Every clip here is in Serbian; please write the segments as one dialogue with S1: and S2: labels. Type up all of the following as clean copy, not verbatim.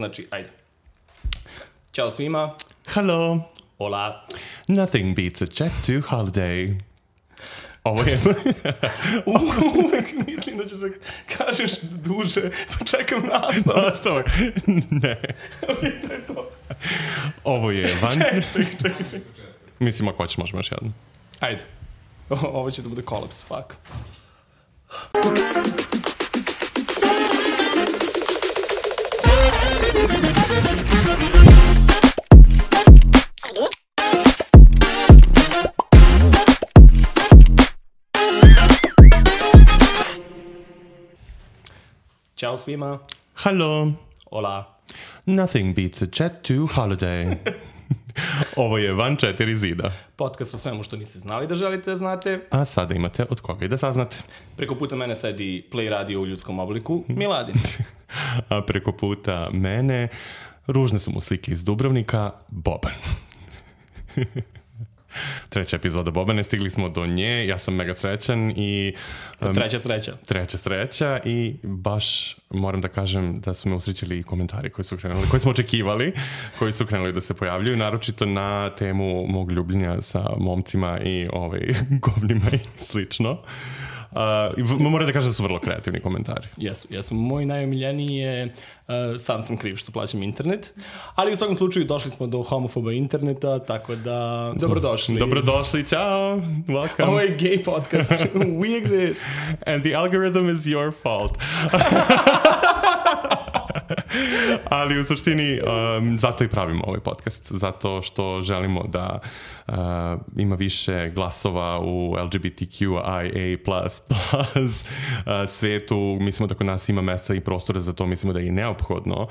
S1: Znači, ajde. Ćao svima.
S2: Hello.
S1: Hola.
S2: Nothing beats a jet to holiday. Ovo je...
S1: Uvek mislim da ćeš da kažeš duže, pa čekam nastavak.
S2: Ne.
S1: To je to.
S2: Ovo je van...
S1: Čekaj.
S2: Mislim, ako hoćeš, možemo još jedno.
S1: Ajde. Ovo će da bude kolaps, fuck. Ćao svima.
S2: Hello.
S1: Hola.
S2: Nothing beats a jet to holiday. Ovo je van 4 zida.
S1: Podcast o svemu što niste znali da želite da znate.
S2: A sada imate od koga i da saznate.
S1: Preko puta mene sedi Play Radio u ljudskom obliku, Miladin.
S2: A preko puta mene, ružne su mu slike iz Dubrovnika, Boban. Treća epizoda Bobane, stigli smo do nje, ja sam mega srećan i... Treća sreća i baš moram da kažem da su me usrećili i komentari koji smo očekivali, koji su krenuli da se pojavljaju, naročito na temu mog ljubljenja sa momcima i govnima i slično. Moram da kažem da su vrlo kreativni komentari.
S1: Jesu. Moj najomiljeniji je sam sam kriv što plaćam internet, ali u svakom slučaju došli smo do homofoba interneta, tako da dobrodošli.
S2: Dobrodošli, ciao, welcome.
S1: Ovo je gay podcast, we exist.
S2: And the algorithm is your fault. Ali u suštini zato i pravimo ovaj podcast, zato što želimo da ima više glasova u LGBTQIA++ svetu. Mislimo da kod nas ima mesta i prostora za to, mislimo da je i neophodno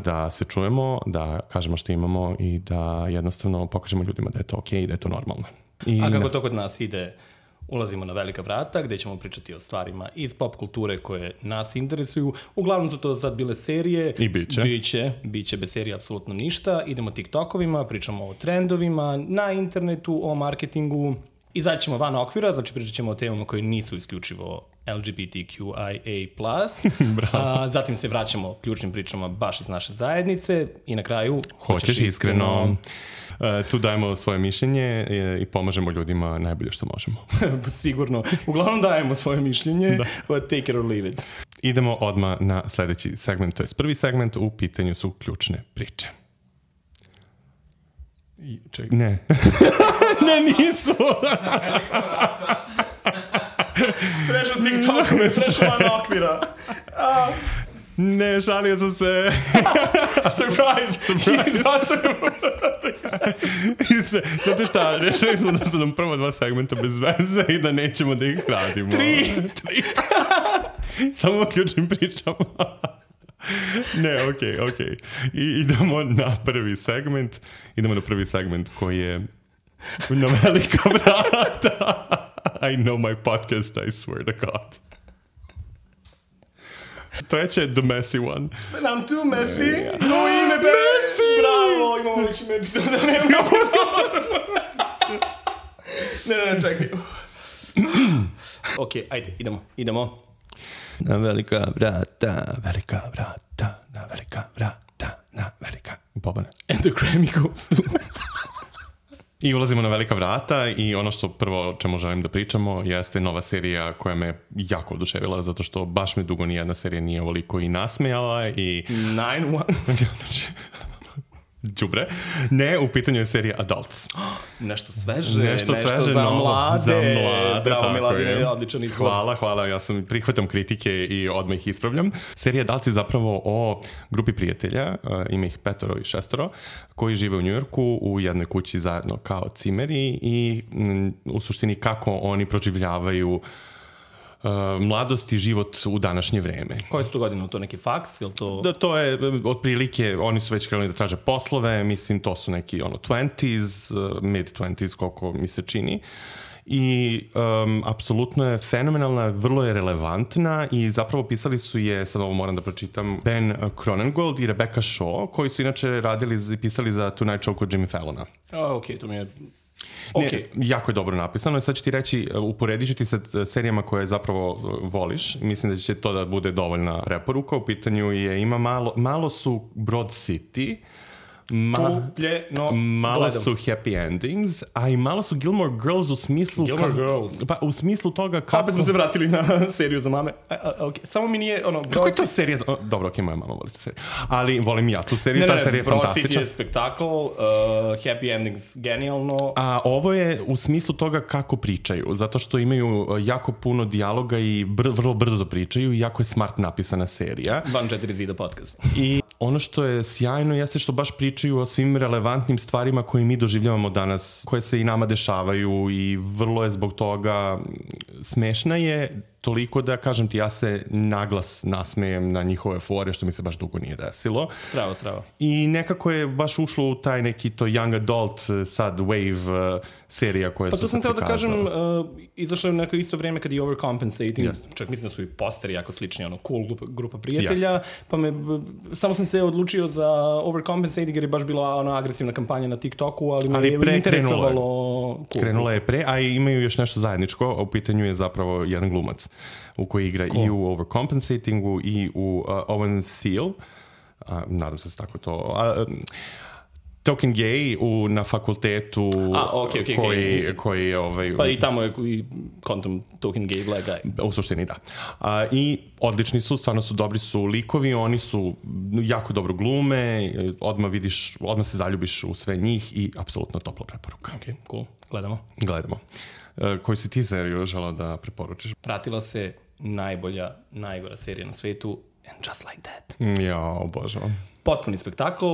S2: da se čujemo, da kažemo što imamo i da jednostavno pokažemo ljudima da je to okej i da je to normalno.
S1: A kako to kod nas ide? Ulazimo na velika vrata gdje ćemo pričati o stvarima iz pop kulture koje nas interesuju. Uglavnom su to sad bile serije.
S2: I
S1: biće bez serije apsolutno ništa. Idemo TikTokovima, pričamo o trendovima na internetu, o marketingu. Izaći ćemo van okvira, znači pričat ćemo o temama koje nisu isključivo LGBTQIA+. Zatim se vraćamo ključnim pričama baš iz naše zajednice i na kraju
S2: hoćeš iskreno. Tu dajemo svoje mišljenje i pomažemo ljudima najbolje što možemo.
S1: Sigurno. Uglavnom dajemo svoje mišljenje, but take it or leave it.
S2: Idemo odmah na sljedeći segment, to je prvi segment, u pitanju su ključne priče. Ne. Ne, nisu.
S1: Prešao TikTok, prešao van okvira.
S2: Ne, šalio sam se.
S1: Surprise.
S2: Znate šta, rešili smo da su nam prvo 2 segmenta bez veze i da nećemo da ih radimo.
S1: 3.
S2: Samo ključnim pričama. Ne, okej. I idemo na prvi segment koji je na velika vrata. I know my podcast, I swear to God. Treće je The Messy One.
S1: But I'm too messy. Messy! Bravo, imamo već ime epizoda. Ne, čekaj. Okej, ajde, idemo.
S2: Na velika vrata. Bobane.
S1: And the Grammy goes to...
S2: I ulazimo na velika vrata i ono što prvo o čemu želim da pričamo jeste nova serija koja me jako oduševila, zato što baš me dugo nijedna serija nije ovoliko i nasmejala i...
S1: 9-1.
S2: Đubre. Ne, u pitanju je serija Adults.
S1: Nešto sveže za mlade. Bravo, Miladine, odličan izbor.
S2: Hvala, ja sam prihvatam kritike i odmah ih ispravljam. Serija Adults je zapravo o grupi prijatelja, ima ih 5 i 6, koji žive u Njujorku u jednoj kući zajedno kao cimeri i u suštini kako oni proživljavaju mladost i život u današnje vreme.
S1: Koje su to godine? To neki faks? Ili to...
S2: Da, to je otprilike, oni su već krenuli da traže poslove, mislim to su neki mid-20s, koliko mi se čini. I apsolutno je fenomenalna, vrlo je relevantna i zapravo pisali su je, sad ovo moram da pročitam, Ben Cronengold i Rebecca Shaw, koji su inače radili i pisali za Tonight Show kod Jimmy Fallona.
S1: Okej, to mi je
S2: Okay. Jako je dobro napisano i sad ću ti reći, uporedit ću ti sa serijama koje zapravo voliš. Mislim da će to da bude dovoljna preporuka. U pitanju je, ima malo su Broad City, malo su Happy Endings, a i malo su Gilmore Girls u smislu...
S1: Girls?
S2: Pa u smislu toga kako...
S1: Opet smo se vratili na seriju za mame. Okay. Samo mi nije...
S2: Kako je to serija? Dobro, moja mama voli tu seriju. Ali volim ja tu seriju, ta serija je fantastična.
S1: Broad City je spektakl, Happy Endings genijalno.
S2: A ovo je u smislu toga kako pričaju, zato što imaju jako puno dijaloga i vrlo brzo pričaju i jako je smart napisana serija.
S1: Van 4 zida podcast.
S2: I ono što je sjajno jeste što baš pričaju o svim relevantnim stvarima koje mi doživljavamo danas, koje se i nama dešavaju i vrlo je zbog toga smešna je toliko da, kažem ti, ja se naglas nasmejem na njihove fore, što mi se baš dugo nije desilo.
S1: Strava.
S2: I nekako je baš ušlo u taj neki to young adult sad wave serija koja su se prikazala.
S1: Pa to sam teo da kažem, izašlo je neko isto vrijeme kad je Overcompensating, čak mislim da su i posteri jako slični, cool grupa prijatelja, pa samo sam se odlučio za Overcompensating jer je baš bila agresivna kampanja na TikToku, ali me je interesovalo cool.
S2: Krenula je pre, a imaju još nešto zajedničko, u pitanju je zapravo jedan glumac u koji igra i u Overcompensatingu i u Owen Thiel, nadam se tako to... Token Gay na fakultetu koji je...
S1: Pa i tamo je i kontom Token Gay Black Guy.
S2: U suštini da. I odlični su, stvarno su dobri su likovi, oni su jako dobro glume, odmah se zaljubiš u sve njih i apsolutno topla preporuka.
S1: Ok, cool.
S2: Gledamo. Koju si ti seriju želao da preporučiš?
S1: Pratila se najgora serija na svetu, And Just Like That.
S2: Ja, obožavam.
S1: Potpuni spektakl.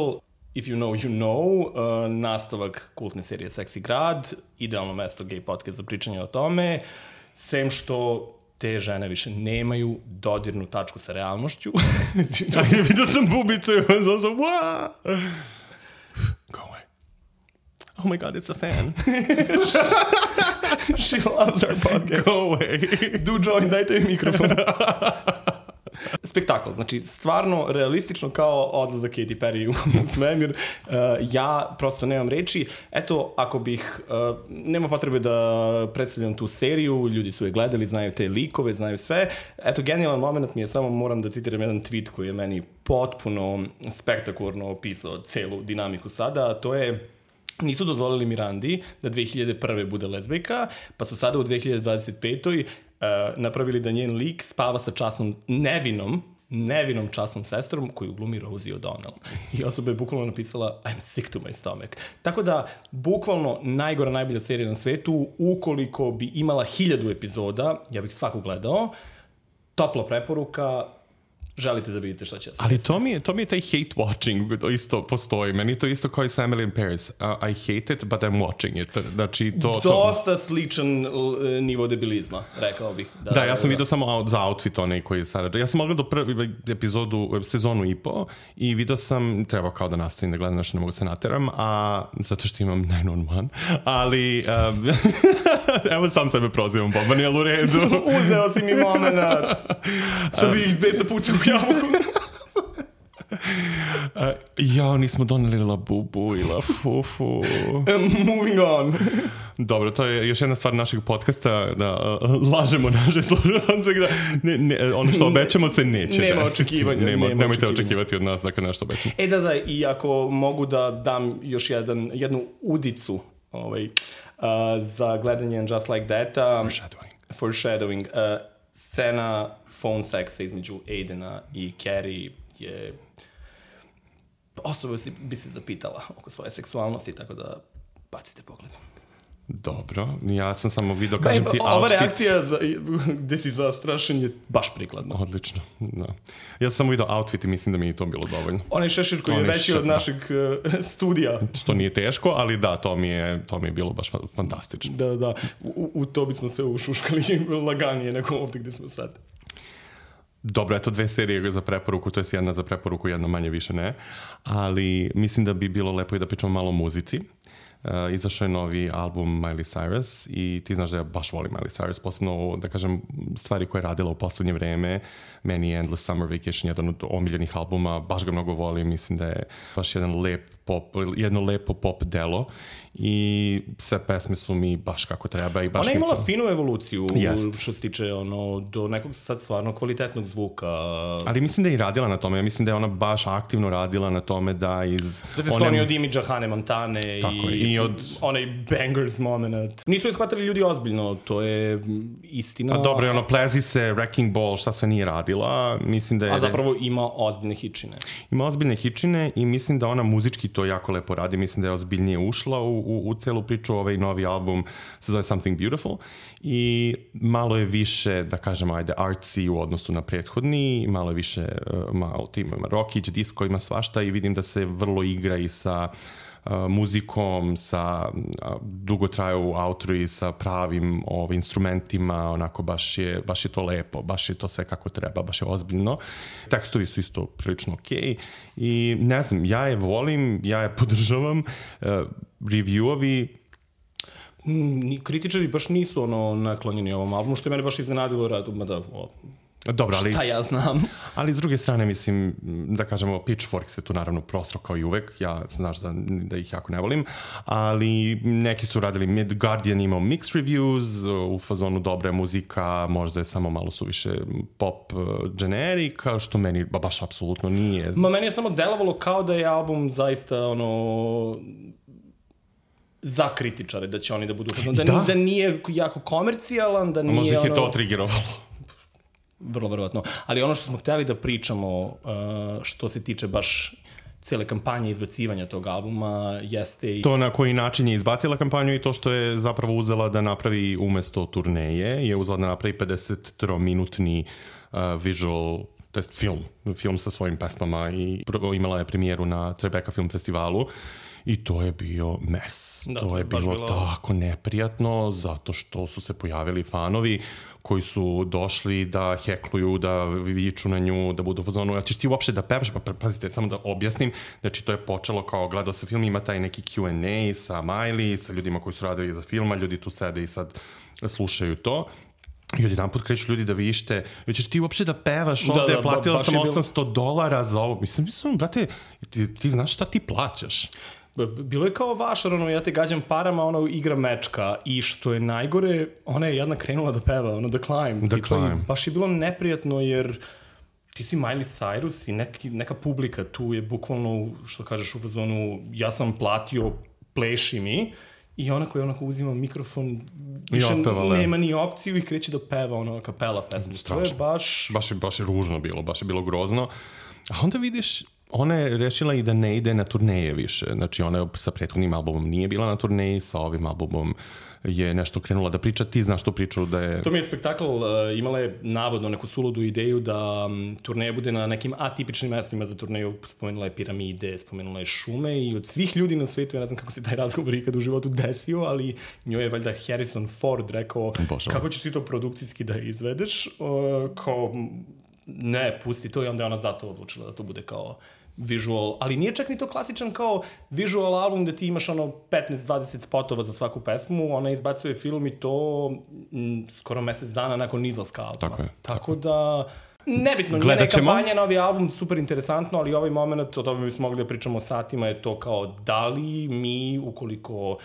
S1: If you know, you know, nastavak kultne serije Seksi grad, idealno mesto gay podcast za pričanje o tome, sem što te žene više nemaju dodirnu tačku sa realnošću.
S2: Vidio sam bubicu i sam wow! Go away. Oh my god, it's a fan.
S1: She loves our podcast.
S2: Go away.
S1: Do join, dajte mi mikrofon. Spektakl, znači stvarno realistično kao odlazak Katy Perry u svemir. Ja prosto nemam reči. Eto, ako bih, nema potrebe da predstavljam tu seriju, ljudi su je gledali, znaju te likove, znaju sve. Eto, genijalan moment mi je, samo moram da citiram jedan tweet koji je meni potpuno spektakularno opisao celu dinamiku sada, a to je: nisu dozvolili Mirandi da 2001. bude lezbijka, pa su sada u 2025. Napravili da njen lik spava sa časnom nevinom časnom sestrom koju glumi Rosie O'Donnell. I osoba je bukvalno napisala I'm sick to my stomach. Tako da, bukvalno najbolja serija na svetu, ukoliko bi imala 1000 epizoda, ja bih svaku gledao. Topla preporuka, želite da vidite šta će se.
S2: Ali to mi je taj hate watching, to isto postoji. Meni to isto kao i sa Emily in Paris. I hate it, but I'm watching it. Znači,
S1: dosta sličan nivo debilizma, rekao bih.
S2: Da, ja sam vidio samo za outfit onaj koji je sada. Ja sam gledao prvi epizodu, sezonu i po, i vidio sam, trebao kao da nastavim da gledam, nešto ne mogu se nateram, zato što imam 911, ali evo sam sebe prozivam, Boban, jel u redu?
S1: Uzeo si mi momenat. Sad bi ih bez pucao u javu.
S2: Nismo doneli La Bubu i La Fufu.
S1: Moving on.
S2: Dobro, to je još jedna stvar našeg podcasta, da lažemo naše slušalce, da ono što obećamo se neće
S1: nema
S2: desiti.
S1: Očekivanja.
S2: Nemojte očekivati od nas da nešto obećamo.
S1: Da, i ako mogu da dam još jednu udicu za gledanje And Just Like That. Foreshadowing. Scena phone seksa između Aidena i Carrie je... Osoba bi se zapitala oko svoje seksualnosti, tako da bacite pogled.
S2: Dobro, ja sam samo vidio, kažem ti,
S1: ova reakcija gde si zastrašen je baš prikladna.
S2: Odlično, da. Ja sam samo vidio outfit i mislim da mi je to bilo dovoljno.
S1: Onaj šešir koji je veći od našeg studija.
S2: Što nije teško, ali da, to mi je bilo baš fantastično.
S1: Da, u to bismo se ušuškali laganije nego ovdje gde smo sad.
S2: Dobro, eto 2 serije za preporuku, to je jedna za preporuku, jedna manje više ne, ali mislim da bi bilo lepo i da pričamo malo o muzici. izašao je novi album Miley Cyrus i ti znaš da ja baš volim Miley Cyrus, posebno, da kažem, stvari koje je radila u poslednje vreme. Meni je Endless Summer Vacation jedan od omiljenih albuma, baš ga mnogo volim, mislim da je baš jedno lepo pop delo i sve pesme su mi baš kako treba i baš
S1: ona je imala finu evoluciju što se tiče do nekog sad stvarno kvalitetnog zvuka.
S2: Ali mislim da je i radila na tome, ja mislim da je ona baš aktivno radila na tome da
S1: se skloni od imidža Hane Montane i od onaj bangers moment. Nisu je shvatili ljudi ozbiljno, to je istina.
S2: Pa dobro, ono plezi se, Wrecking Ball, šta se nije radila, mislim da je...
S1: A zapravo ima ozbiljne hičine.
S2: Ima ozbiljne hičine i mislim da ona muzički to jako lepo radi, mislim da je ozbiljnije ušla u celu priču. Ovaj novi album se zove Something Beautiful i malo je više, da kažem, artsy u odnosu na prethodni, malo je više, malo ima rockić, disco, ima svašta i vidim da se vrlo igra i sa muzikom, sa dugo traju outro i sa pravim instrumentima, onako baš je to lepo, baš je to sve kako treba, baš je ozbiljno. Tekstovi su isto prilično okej i ne znam, ja je volim, ja je podržavam, reviewovi
S1: kritičari baš nisu naklonjeni ovom albumu, što je mene baš iznenadilo radu, mada
S2: dobro, ali,
S1: šta ja znam.
S2: Ali s druge strane, mislim, da kažemo, Pitchfork se tu naravno prosro kao i uvek, ja znaš da ih jako ne volim, ali neki su radili, Guardian imao mixed reviews, u fazonu dobra je muzika, možda je samo malo suviše pop generika, što meni baš apsolutno nije.
S1: Meni je samo delovalo kao da je album zaista za kritičare, da će oni da budu da nije jako komercijalan, da nije
S2: možda ih je to triggerovalo.
S1: Vrlo verovatno. Ali ono što smo hteli da pričamo, što se tiče baš cele kampanje izbacivanja tog albuma, jeste...
S2: To na koji način je izbacila kampanju i to što je zapravo uzela da napravi umesto turneje, je uzela da napravi 53-minutni visual, to jest film sa svojim pesmama i imala je premijeru na Tribeca Film Festivalu. I to je bio mes. To je bilo tako neprijatno, zato što su se pojavili fanovi koji su došli da hekluju, da viču na nju, da budu u fazonu, ćeš ti uopšte da pevaš? Pa pazite, samo da objasnim, znači to je počelo kao gledao se film, ima taj neki Q&A sa Miley, sa ljudima koji su radili za filma, ljudi tu sede i sad slušaju to. I od jedan put kreću ljudi da vište, ćeš ti uopšte da pevaš ovde, platila sam $800 za ovo. Mislim, brate, ti znaš šta ti plaćaš?
S1: Bilo je kao vašar, ja te gađam parama, igra mečka i što je najgore, ona je jedna krenula da peva, The Climb. Baš je bilo neprijatno jer ti si Miley Cyrus i neka publika tu je bukvalno, što kažeš u fazonu, ja sam platio, pleši mi. I ona koja onako uzima mikrofon, više nema ni opciju i kreće da peva kapela pesmu. To je
S2: baš je ružno bilo, baš je bilo grozno. A onda vidiš, ona je rešila i da ne ide na turneje više. Znači ona sa prethodnim albumom nije bila na turneji, sa ovim albumom je nešto krenula da priča. Ti znaš tu priču da je...
S1: To mi je spektakl, imala je navodno neku suludu ideju da turneja bude na nekim atipičnim mestima za turneju. Spomenula je piramide, spomenula je šume i od svih ljudi na svetu, ja ne znam kako se taj razgovor ikad u životu desio, ali njoj je valjda Harrison Ford rekao kako ćeš ti to produkcijski da izvedeš, kao ne, pusti to i onda je ona zato odlučila da to bude kao visual, ali nije čak ni to klasičan kao visual album da ti imaš 15-20 spotova za svaku pesmu, ona izbacuje film i to skoro mesec dana nakon izlaska albuma. Tako da nebitno, njena kampanja, novi album, super interesantno, ali ovaj moment, o tome bismo mogli da pričamo satima, je to kao da li mi, ukoliko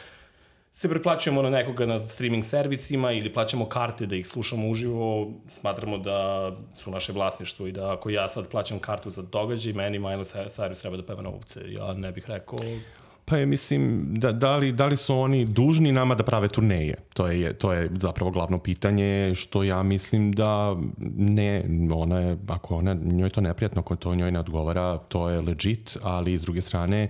S1: se preplaćujemo na nekoga na streaming servisima ili plaćamo karte da ih slušamo uživo, smatramo da su naše vlasništvo i da ako ja sad plaćam kartu za događaj, meni Miley Cyrus treba da peva na ovce. Ja ne bih rekao...
S2: Pa je, mislim, da li su oni dužni nama da prave turneje? To je zapravo glavno pitanje, što ja mislim da ne, ako njoj to neprijatno, ako to njoj ne odgovara, to je legit, ali s druge strane,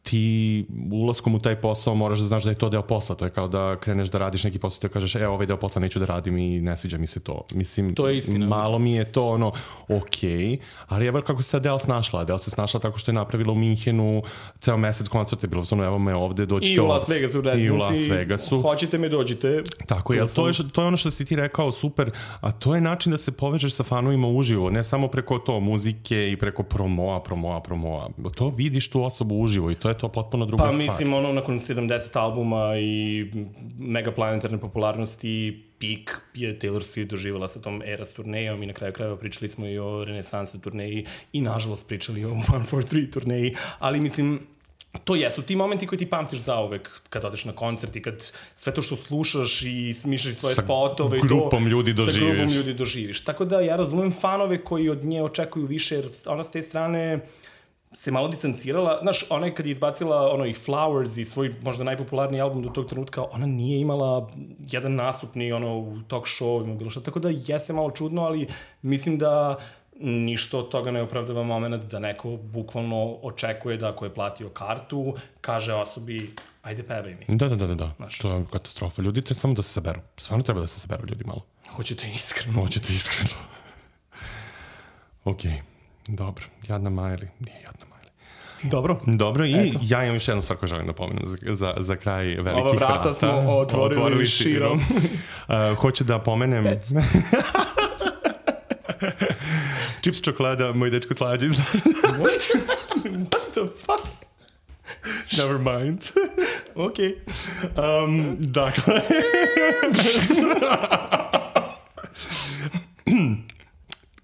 S2: ti ulaskom u taj posao moraš da znaš da je to deo posla. To je kao da kreneš da radiš neki posao i ti kažeš, ovaj deo posla neću da radim i ne sviđa mi se to. Mislim,
S1: to je istina,
S2: malo mi je to okej, ali evo kako se Adele snašla. Adele se snašla tako što je napravila u Minhenu ceo mesec koncert, je bilo evo me ovde, dođite.
S1: I u Las Vegasu,
S2: i u Las Vegasu.
S1: Hoćete me, dođite.
S2: Tako je, to je ono što si ti rekao, super, a to je način da se povežeš sa fanovima uživo, ne samo preko to muzike i preko promoa. To vidiš tu osobu uživo i to je to potpuno druga stvar.
S1: Pa mislim, nakon 70 albuma i megaplanetarne popularnosti, pik je Taylor Swift doživjela sa tom Eras turnejom i na kraju krajeva pričali smo i o Renesanse turneji i nažalost pričali o 143 turneji, ali mislim, to jesu ti momenti koji ti pamtiš zauvek kad odeš na koncert i kad sve to što slušaš i smišljaš svoje spotove
S2: sa grupom ljudi
S1: doživiš. Tako da ja razumem fanove koji od nje očekuju više, jer ona s te strane se malo distancirala. Znaš, ona je kad je izbacila i Flowers i svoj možda najpopularniji album do tog trenutka, ona nije imala jedan nastup ni u talk show, bilo što. Tako da jeste malo čudno, ali mislim da ništa od toga ne opravdava moment da neko bukvalno očekuje da ako je platio kartu, kaže osobi, ajde pevaj mi.
S2: Da. To je katastrofa. Ljudi treba samo da se saberu. Stvarno treba da se saberu ljudi malo.
S1: Hoćete iskreno.
S2: Okej. Dobro, jadna Miley. Nije jadna Miley.
S1: Dobro,
S2: i eto. Ja imam još jednu stvar koju želim da pomenem za kraj velikih vrata.
S1: Ova vrata smo otvorili širom.
S2: Hoću da pomenem... Čips čokolada, moj dečko slađe.
S1: What the fuck?
S2: Never mind.
S1: Okay.
S2: Dakle...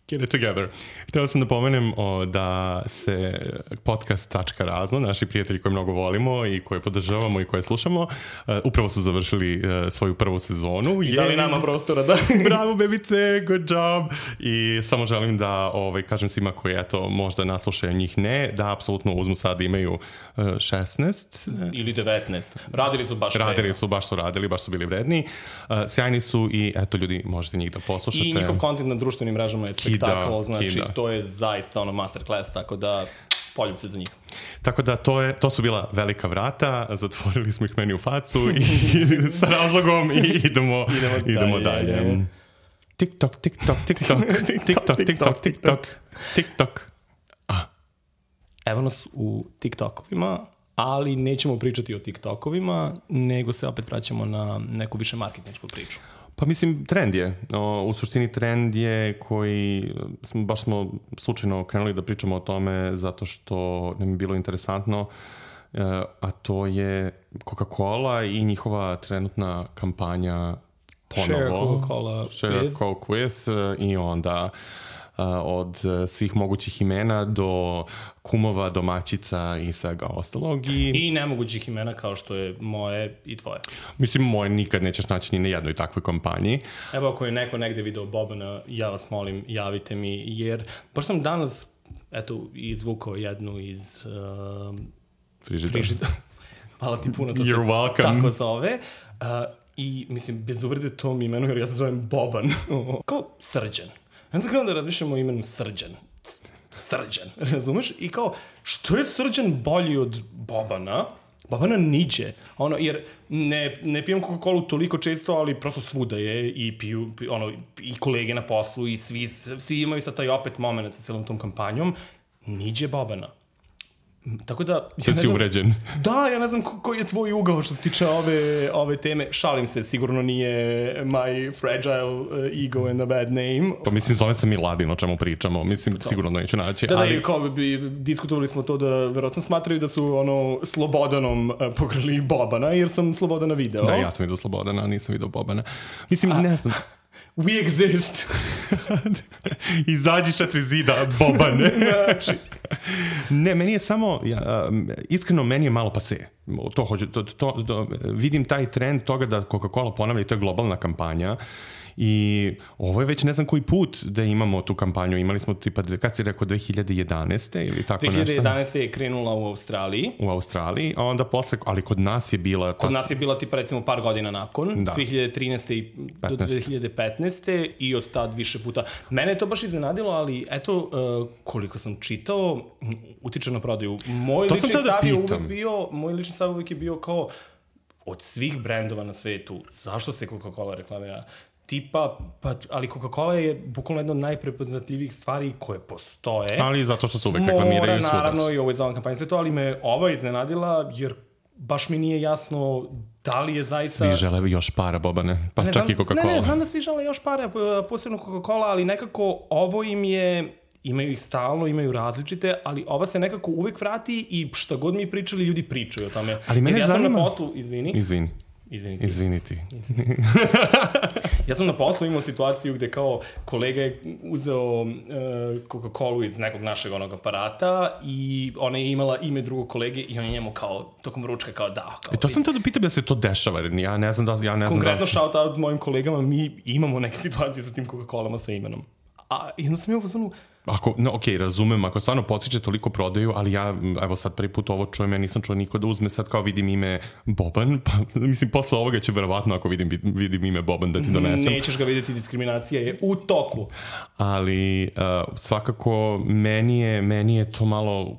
S2: Get it together. Htio sam da pomenem da se podcast.razno, naši prijatelji koje mnogo volimo i koje podržavamo i koje slušamo, upravo su završili svoju prvu sezonu.
S1: I dali nama prostora da...
S2: Bravo, bebice, good job! I samo želim da kažem svima koji možda naslušaju njih ne, da apsolutno uzmu sad imaju 16.
S1: Ili 19. Radili su baš su bili vredni.
S2: Sjajni su i ljudi, možete njih da poslušate.
S1: I njihov kontent na društvenim mrežama je spektakl, znači to je zaista masterclass, tako da poljub se za njih.
S2: Tako da to su bila velika vrata, zatvorili smo ih meni u facu i sa razlogom i idemo dalje. TikTok.
S1: Evo nas u TikTokovima, ali nećemo pričati o TikTokovima, nego se opet vraćamo na neku više marketinšku priču.
S2: Pa mislim, trend je. U suštini trend je koji baš smo slučajno krenuli da pričamo o tome zato što nam je bilo interesantno, a to je Coca-Cola i njihova trenutna kampanja ponovo. Share Coke with i onda od svih mogućih imena do kumova, domaćica i svega ostalog.
S1: I nemogućih imena kao što je moje i tvoje.
S2: Mislim, moje nikad nećeš naći ni na jednoj takvoj kampanji.
S1: Evo, ako je neko negde video Bobana, ja vas molim, javite mi, jer baš sam danas, izvukao jednu iz frižidera. Hvala ti puno, to se tako zove. I, mislim, bez uvrede tom imenu, jer ja se zovem Boban. Kao Srđan. Ja sam krenuo da razmišljam o imenu Srđan. Srđan, razumeš? I kao, što je Srđan bolji od Bobana? Bobana niđe. Jer ne pijem Coca-Colu toliko često, ali prosto svuda je i piju, i kolege na poslu i svi imaju sad taj opet moment sa celom tom kampanjom. Niđe Bobana. Tako da...
S2: Sad si uvređen.
S1: Da, ja ne znam koji je tvoj ugao što se tiče ove teme. Šalim se, sigurno nije my fragile ego and a bad name.
S2: Pa mislim, zove se Miladin, o čemu pričamo. Mislim, sigurno neću naći.
S1: Diskutovali smo to da verovatno smatraju da su Slobodanom pokrali Bobana, jer sam Slobodana video.
S2: Da, ja sam vidio Slobodana, nisam vidio Bobana. Mislim, ne znam...
S1: We exist.
S2: Izađi 4 zida, Bobane.
S1: Znači.
S2: Ne, meni je samo, iskreno meni je malo pase. Vidim taj trend toga da Coca-Cola ponavlja i to je globalna kampanja. I ovo je već ne znam koji put da imamo tu kampanju. Imali smo tipa, kad si rekao, 2011. ili tako
S1: 2011. nešto? 2011. je krenula u Australiji.
S2: U Australiji, a onda posle, ali kod nas je bila...
S1: Kod nas je bila tipa recimo par godina nakon, da. 2013. do 2015. I od tad više puta. Mene je to baš iznenadilo, ali eto, koliko sam čitao, utiče na prodaju. Moj lični stav uvijek je bio kao, od svih brendova na svetu, zašto se Coca-Cola reklamira? Tipa, ali Coca-Cola je bukvalno jedna od najprepoznatljivijih stvari koje postoje.
S2: Ali zato što se uvek reklamiraju svuda.
S1: Naravno, i ovo je za ovom kampanju sve to, ali me ova iznenadila, jer baš mi nije jasno da li je zaista...
S2: Svi žele još para, Bobane, pa čak i Coca-Cola.
S1: Ne, znam da svi žele još para, posebno Coca-Cola, ali nekako ovo im je imaju ih stalno, imaju različite, ali ova se nekako uvek vrati i šta god mi pričali, ljudi pričaju o tome.
S2: Ali mene
S1: zanima...
S2: sam
S1: na poslu,
S2: Izviniti.
S1: Ja sam na poslu imao situaciju gde kao kolega je uzeo Coca-Cola iz nekog našeg onog aparata i ona je imala ime drugog kolege i on je njemu kao tokom ručka kao da. Kao,
S2: to sam te da pitam da se to dešava, jer ja ne znam da...
S1: Konkretno shout out mojim kolegama, mi imamo neke situacije sa tim Coca-Colama sa imenom. A jedno sam imao pozvanu...
S2: razumem, ako stvarno podsjeće toliko prodaju, ali ja, evo sad prvi put ovo čujem, ja nisam čuo niko da uzme, sad kao vidim ime Boban, pa mislim, posle ovoga će verovatno ako vidim ime Boban da ti donesem.
S1: Nećeš ga vidjeti, diskriminacija je u toku.
S2: Ali svakako meni je to malo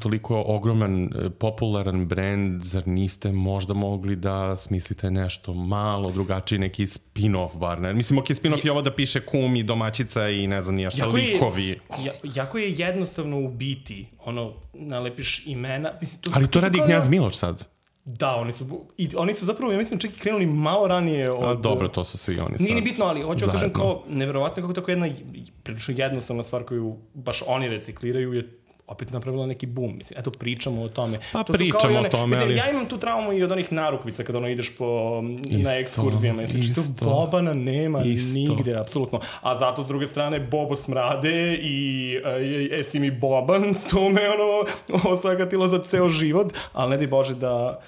S2: toliko ogroman, popularan brand, zar niste možda mogli da smislite nešto malo drugačiji, neki spin-off bar, ne? Mislim, spin-off je ovo da piše kum i domaćica i ne znam nijašta, likovi.
S1: Jako je jednostavno u biti, nalepiš imena. Mislim,
S2: ali to radi Knjaz Miloš sad.
S1: Da, oni su zapravo, ja mislim, čak i krenuli malo ranije od...
S2: dobro, to su svi oni sad.
S1: Nije ni bitno, ali hoću da kažem kao, neverovatno kako tako jedna prilično jednostavna stvar koju baš oni recikliraju je opet napravila neki boom. Mislim, eto, pričamo o tome.
S2: Pa pričamo o tome,
S1: ali... Ja imam tu traumu i od onih narukvica kada ideš na ekskurzijama. Znači, to Bobana nema nigde, apsolutno. A zato, s druge strane, Bobo smrade i esi mi Boban, to me osakatilo za ceo život, ali ne daj Bože da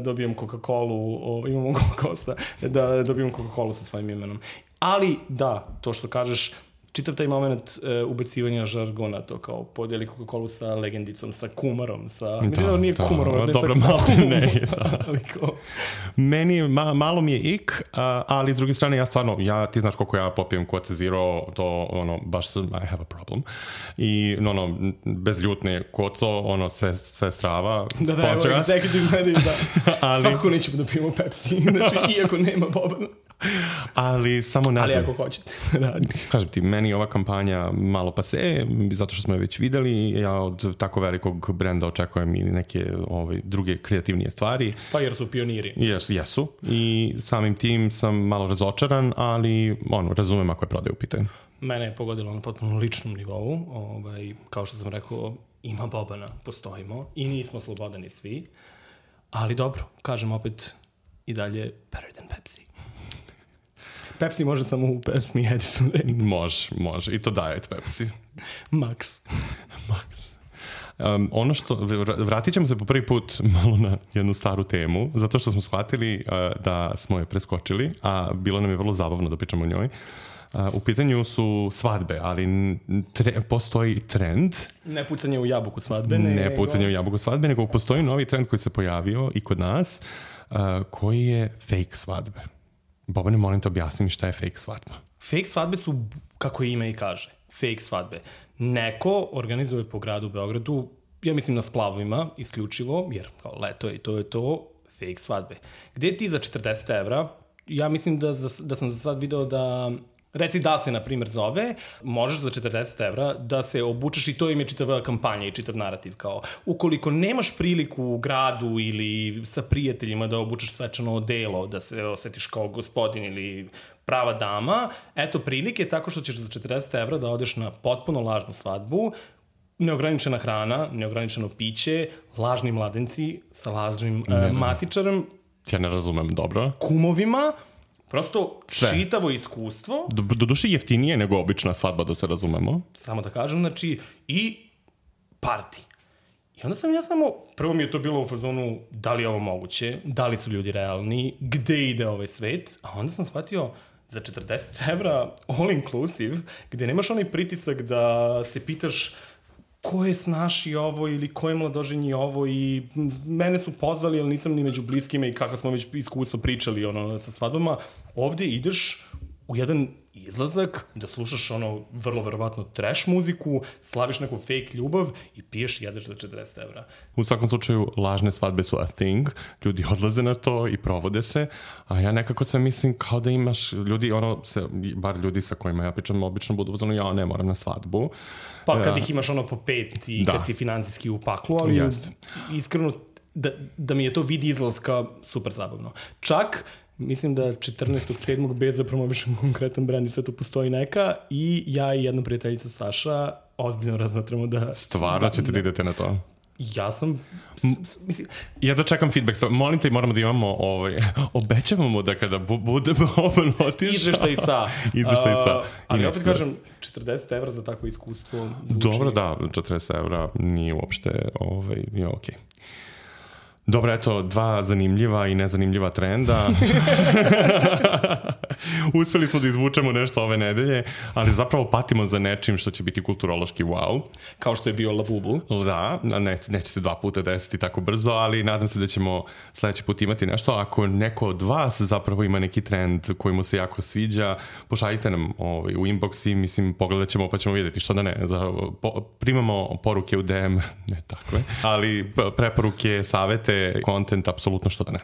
S1: dobijem Coca-Colu, imamo Coca-Cola, da dobijem Coca-Colu sa svojim imenom. Ali, da, to što kažeš, čitav taj moment ubacivanja žargona, to kao podijeli Coca-Colu sa legendicom, sa kumarom, sa... Da, nije kumarom, ne
S2: dobro,
S1: sa
S2: ne, Meni, malo mi je ik, ali s druge strane, ja stvarno, ti znaš koliko ja popijem Coca Zero, to, baš I have a problem. I, bez ljutne koco, sve strava.
S1: Da, evo, executive gledaju, da. Svako nećemo da pijemo Pepsi, znači, iako nema Bobana.
S2: Ali samo ne znam.
S1: Ali ako hoćete.
S2: Kažem ti, meni ova kampanja malo pase, zato što smo je već videli, ja od tako velikog brenda očekujem i neke druge kreativnije stvari.
S1: Pa jer su pioniri.
S2: Jesu. I samim tim sam malo razočaran, ali razumem ako je prodaj u pitanju.
S1: Mene je pogodilo na potpuno ličnom nivou. Kao što sam rekao, ima Bobana, postojimo i nismo slobodani svi. Ali dobro, kažem opet i dalje better than Pepsi. Pepsi može samo u pesmi Edison Renik.
S2: Može. I to Diet Pepsi.
S1: Max.
S2: Ono što, vratit ćemo se po prvi put malo na jednu staru temu, zato što smo shvatili da smo je preskočili, a bilo nam je vrlo zabavno da pričamo o njoj. U pitanju su svadbe, ali postoji trend.
S1: Ne pucanje u jabuku svadbe.
S2: Nego postoji novi trend koji se pojavio i kod nas, koji je fake svadbe. Bobane, molim te objasni mi šta je fake svadba.
S1: Fake svadbe su, kako ime i kaže, fake svadbe. Neko organizuje po gradu Beogradu, ja mislim na splavovima, isključivo, jer kao leto je i to je to, fake svadbe. Gde ti za 40 evra, ja mislim da sam za sad video da... Reci da se, na primjer, zove, možeš za 40 evra da se obučeš i to im je čitava kampanja i čitav narativ. Kao, ukoliko nemaš priliku u gradu ili sa prijateljima da obučeš svečano odelo, da se osjetiš kao gospodin ili prava dama, eto prilike tako što ćeš za 40 evra da odeš na potpuno lažnu svadbu, neograničena hrana, neograničeno piće, lažni mladenci sa lažnim matičarem.
S2: Ja ne razumem, dobro.
S1: Kumovima. Prosto čitavo iskustvo.
S2: Doduše jeftinije nego obična svadba, da se razumemo.
S1: Samo da kažem, znači, i party. I onda sam prvo mi je to bilo u fazonu da li je ovo moguće, da li su ljudi realni, gde ide ovaj svet, a onda sam shvatio za 40 evra all inclusive, gde nemaš onaj pritisak da se pitaš ko je snaši ovo ili ko je mladoženji ovo i mene su pozvali, ali nisam ni među bliskima i kako smo već iskustvo pričali sa svadbama. Ovde ideš u jedan izlazak da slušaš vrlo verovatno trash muziku, slaviš neku fake ljubav i piješ i jedeš za 40 evra.
S2: U svakom slučaju, lažne svadbe su a thing, ljudi odlaze na to i provode se, a ja nekako sve mislim kao da imaš ljudi, bar ljudi sa kojima ja pričam obično budu uzmano, ja ne moram na svadbu.
S1: Pa kad ih imaš po 5 i kad si financijski u paklu, ali iskreno da mi je to vid izlaska super zabavno. Čak mislim da 14.7. bez da promovišem konkretan brand i sve to postoji neka i ja i jedna prijateljica Saša ozbiljno razmatramo da...
S2: Stvarno ćete da idete na to?
S1: Ja sam... Mislim...
S2: Ja da čekam feedback. Molim te, moramo da imamo... obećavamo da kada budemo otišao...
S1: Izveštaj sa. Ali opet kažem, 40 evra za takvo iskustvo zvuči...
S2: Dobro, da, 40 evra nije uopšte... nije okej. Dobro, eto, 2 zanimljiva i nezanimljiva trenda. Uspeli smo da izvučemo nešto ove nedelje, ali zapravo patimo za nečim što će biti kulturološki wow.
S1: Kao što je bio Labubu.
S2: Da, neće se 2 puta desiti tako brzo, ali nadam se da ćemo sledeći put imati nešto. Ako neko od vas zapravo ima neki trend koji mu se jako sviđa, pošaljite nam u inbox i mislim pogledat ćemo pa ćemo vidjeti što da ne. Primamo poruke u DM, ne takve, ali preporuke, savete, kontent, apsolutno što da ne.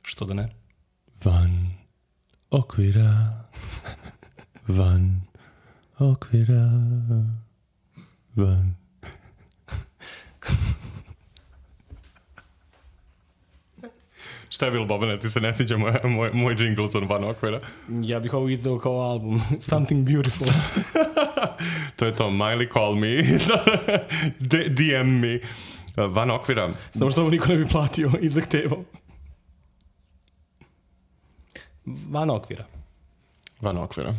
S1: Što da ne?
S2: Van okvira, van okvira, van. Šta je bilo, Bobane? Ti se ne sviđa moj jingle za van okvira?
S1: Ja bih ovo izdao kao album. Something Beautiful.
S2: To je to. Miley call me. DM me. Van okvira.
S1: Samo što ovo niko ne bi platio i zahtevao. Van okvira.
S2: Van okvira.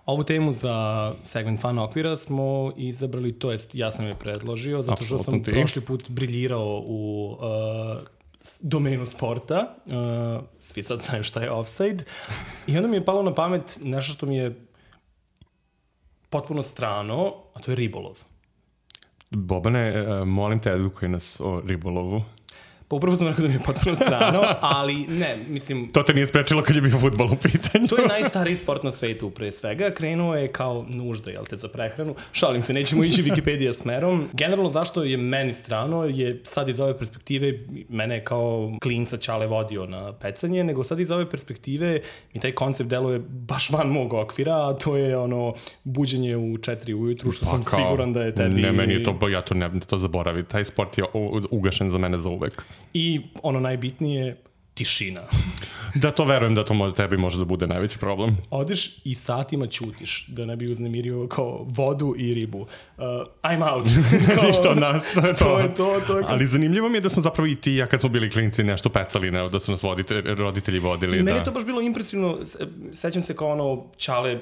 S1: Ovu temu za segment Van okvira smo izabrali, to jest ja sam je predložio, zato što sam prošli put briljirao u domenu sporta. Svi sad znaju šta je offside. I onda mi je palo na pamet nešto što mi je potpuno strano, a to je ribolov.
S2: Bobane, molim te, edukuj nas o ribolovu.
S1: Pa upravo sam rekao da mi je potpuno strano, ali ne, mislim...
S2: To te nije sprečilo kad je bio fudbal u pitanju.
S1: To je najstariji sport na svetu, pre svega. Krenuo je kao nužda, jel te, za prehranu. Šalim se, nećemo ići Wikipedia smerom. Generalno, zašto je meni strano, je sad iz ove perspektive, mene je kao klinca Ćale vodio na pecanje, nego sad iz ove perspektive mi taj koncept deluje baš van mog okvira, a to je buđenje u 4 ujutru, što sam siguran da je tebi...
S2: Ne, meni je to, ja to ne to zaboravim. Taj sport je ugašen za mene za uvek.
S1: I najbitnije, tišina.
S2: Da, to verujem da to tebi može da bude najveći problem.
S1: Odeš i satima ćutiš, da ne bi uznemirio kao vodu i ribu. I'm out.
S2: Ništa od nas.
S1: To je to.
S2: Ali zanimljivo mi je da smo zapravo i ti, ja kad smo bili klinci, nešto pecali, da su nas roditelji vodili.
S1: I meni je to baš bilo impresivno. Sećam se kao Ćale...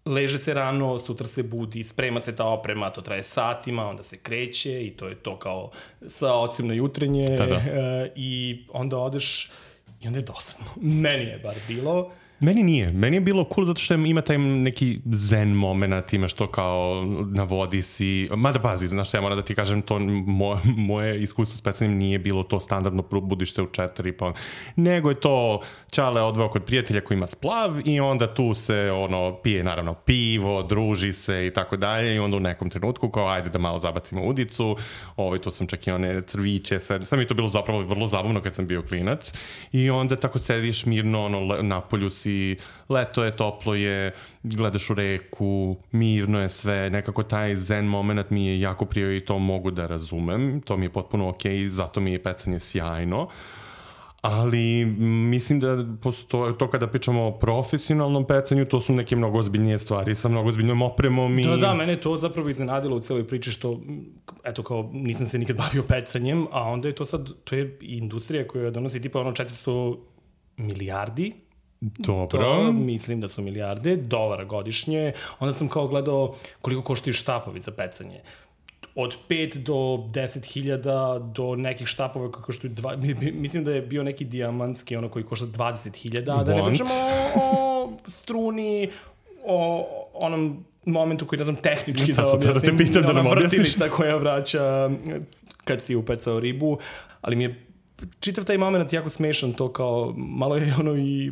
S1: Leže se rano, sutra se budi, sprema se ta oprema, to traje satima, onda se kreće i to je to kao sa ocem na jutrenje. I onda odeš i onda je dosadno. Meni je bar bilo.
S2: Meni nije. Meni je bilo cool zato što ima taj neki zen moment, imaš to kao na vodi si. Mada pazi, znaš što ja moram da ti kažem, to moje iskustvo s pecanjem nije bilo to standardno, budiš se u 4 pa nego je to Ćale odveo kod prijatelja koji ima splav i onda tu se pije naravno pivo, druži se i tako dalje i onda u nekom trenutku kao ajde da malo zabacimo udicu, tu sam čak i one crviće, sve mi je to bilo zapravo vrlo zabavno kad sam bio klinac i onda tako sediš mirno na polju si, leto je, toplo je, gledaš u reku, mirno je sve, nekako taj zen moment mi je jako prijao i to mogu da razumem, to mi je potpuno okej, zato mi je pecanje sjajno, ali mislim da to kada pričamo o profesionalnom pecanju, to su neke mnogo ozbiljnije stvari sa mnogo ozbiljnom opremom.
S1: Da, mene je to zapravo iznenadilo u celoj priči što, eto kao, nisam se nikad bavio pecanjem, a onda je to sad, to je industrija koja donosi tipa 400 milijardi.
S2: Dobro.
S1: To mislim da su milijarde dolara godišnje. Onda sam kao gledao koliko koštaju štapovi za pecanje. Od 5 do 10.000 do nekih štapova koji koštaju mislim da je bio neki dijamantski koji košta 20.000, da ne pričamo o struni, o onom momentu koji, ne znam, tehnički da objasnim, ona vrtilica koja vraća kad si upecao ribu, ali mi je čitav taj moment jako smešan, to kao malo je i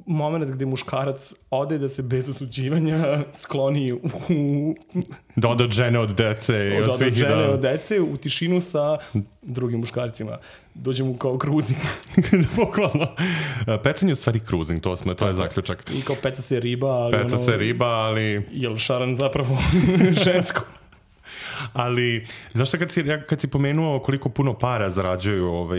S1: moment gde muškarac ode da se bez osuđivanja skloni
S2: da ode od žene, od dece
S1: od dece u tišinu sa drugim muškarcima. Dođe mu kao kruzing.
S2: Bukvalno. Pecanje je u stvari kruzing, to je zaključak.
S1: I kao peca se riba, ali
S2: ali...
S1: Jel šaran zapravo žensko?
S2: Ali, znaš šta, kad si pomenuo koliko puno para zarađuju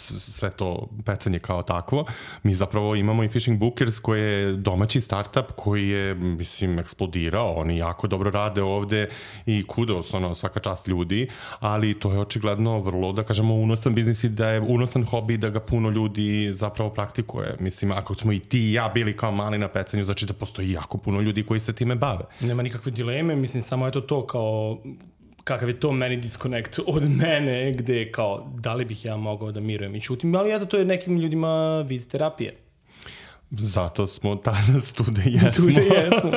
S2: sve to pecanje kao takvo, mi zapravo imamo i Fishing Bookers koji je domaći startup koji je, mislim, eksplodirao. Oni jako dobro rade ovde i kudos, svaka čast ljudi, ali to je očigledno vrlo, da kažemo, unosan biznis i da je unosan hobi, da ga puno ljudi zapravo praktikuje. Mislim, ako smo i ti i ja bili kao mali na pecanju, znači da postoji jako puno ljudi koji se time bave.
S1: Nema nikakve dileme, mislim, samo je to kao kakav je to meni disconnect od mene, gde kao, da li bih ja mogao da mirujem i čutim, ali eto, to je nekim ljudima vid terapije.
S2: Zato smo danas tu da jesmo.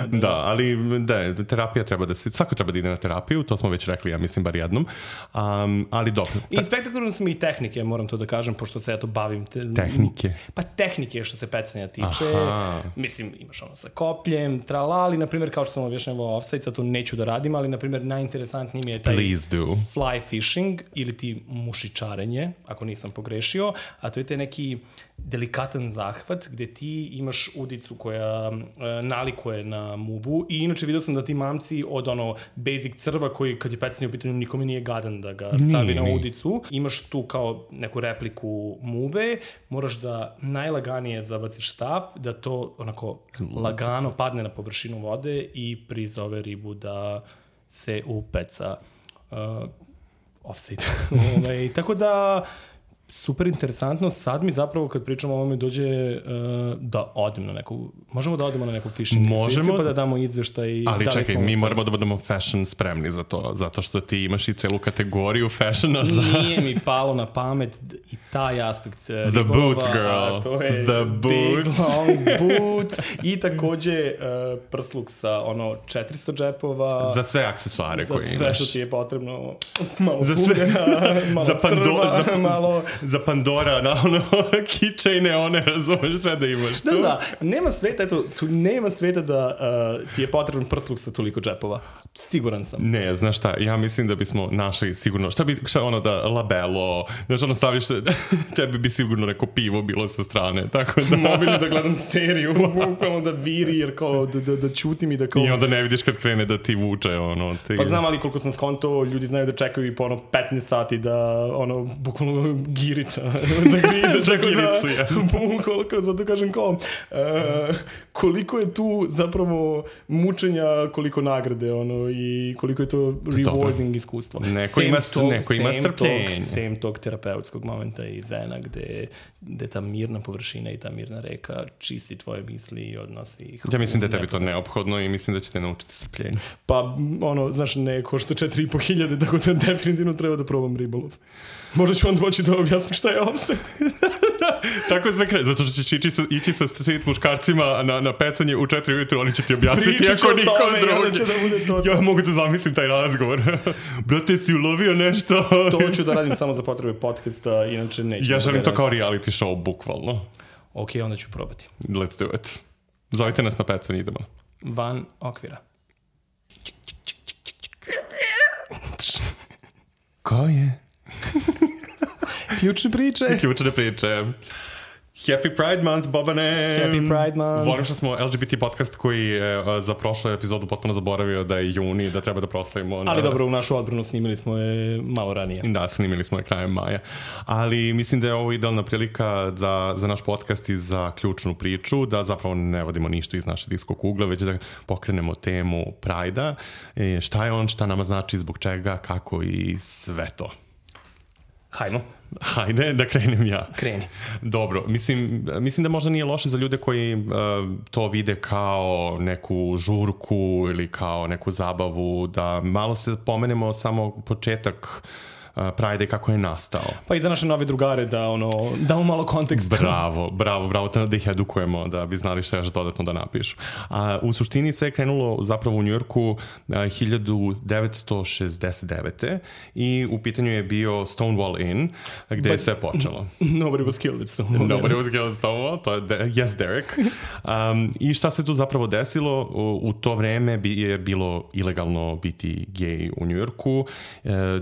S2: Da, ali terapija treba da se, svako treba da ide na terapiju, to smo već rekli, ja mislim, bar jednom, ali dobro.
S1: I spektakularno su mi i tehnike, moram to da kažem, pošto se eto bavim.
S2: Tehnike?
S1: Pa tehnike što se pecanja tiče. Aha. Mislim, imaš sa kopljem, tralali, na primjer, kao što sam objašnjavao offside, sad to neću da radim, ali na primjer najinteresantniji mi je taj fly fishing ili ti mušičarenje, ako nisam pogrešio, a to je taj neki delikatan zahvat gde ti imaš udicu koja nalikuje na muvu i inače vidio sam da ti mamci od basic crva koji kad je pecanje u pitanju nikome nije gadan da ga stavi na udicu, imaš tu kao neku repliku muve, moraš da najlaganije zabaciš štap, da to onako lagano padne na površinu vode i prizove ribu da se upeca offside. Tako da super interesantno. Sad mi zapravo kad pričamo o ovome dođe da odem na neku... Možemo da odemo na neku fishing ekspediciju pa da damo izveštaj.
S2: Ali čekaj, mi moramo da budemo fashion spremni za to. Zato što ti imaš i celu kategoriju fashiona za...
S1: Nije mi palo na pamet i taj aspekt ribolova.
S2: The boots, girl.
S1: To je
S2: the boots.
S1: Big long boots. I takođe prsluk sa 400 džepova.
S2: Za sve aksesuare koje imaš.
S1: Za sve što ti je potrebno. Malo pugana, malo crva, malo...
S2: Za Pandora, na keychaine, one, razumeš, sve da imaš tu.
S1: Da, nema sveta, eto, tu nema sveta da ti je potreban prsluk sa toliko džepova. Siguran sam.
S2: Ne, znaš šta, ja mislim da bismo našli sigurno, da labelo, znaš, staviš, tebi bi sigurno neko pivo bilo sa strane, tako da...
S1: Mobilno da gledam seriju, bukvalno da viri, jer kao da ćutim i da kao...
S2: I onda ne vidiš kad krene da ti vuče,
S1: Pa znam, ali koliko sam skonto, ljudi znaju da čekaju i po 15 sati da, bukvalno girica
S2: za giricu, ja.
S1: Bukvalno, zato kažem kao, koliko je tu zapravo mučenja, koliko nagrade, i koliko je to rewarding iskustvo.
S2: Neko ima strpljenje.
S1: Sem tog terapeutskog momenta i zena gde ta mirna površina i ta mirna reka čisti tvoje misli i odnosi ih.
S2: Ja mislim da je tebi to neophodno i mislim da će te naučiti strpljenje.
S1: Pa, znaš, ne košta 4.500, tako da definitivno treba da probam ribolov. Možda ću onda moći da objasnim šta je offset.
S2: Tako je sve krenuo, zato što će ići sa street muškarcima na pecanje u 4 ujutru, oni će ti objasniti ako niko drugi. Ja mogu da zamislim taj razgovor. Brate, si ulovio nešto?
S1: To ću da radim samo za potrebe podcasta, inače neću.
S2: Ja želim to kao reality show, bukvalno.
S1: Ok, onda ću probati.
S2: Let's do it. Zovite nas na pecanje, idemo.
S1: Van okvira.
S2: Ko je?
S1: Ključne priče.
S2: Happy Pride Month, Bobane!
S1: Happy Pride Month!
S2: Volim što smo LGBT podcast koji je za prošlu epizodu potpuno zaboravio da je juni, da treba da proslavimo.
S1: Ali dobro, u našu odbranu snimili smo je malo ranije.
S2: Da, snimili smo je krajem maja. Ali mislim da je ovo idealna prilika za naš podcast i za ključnu priču, da zapravo ne vodimo ništa iz naše diskog ugla, već da pokrenemo temu Pride-a. Šta je on, šta nama znači, zbog čega, kako i sve to. Hajde, da krenem ja.
S1: Kreni.
S2: Dobro, mislim da možda nije loše za ljude koji to vide kao neku žurku ili kao neku zabavu, da malo se pomenemo samo početak Pride kako je nastao.
S1: Pa i za naše nove drugare da damo malo konteksta.
S2: Bravo, da ih edukujemo, da bi znali šta još dodatno da napišu. U suštini sve je krenulo zapravo u Njujorku 1969. i u pitanju je bio Stonewall Inn, gde je sve počelo.
S1: Nobody was killed at Stonewall.
S2: To je yes, Derek. I šta se tu zapravo desilo? U to vreme je bilo ilegalno biti gej u Njujorku.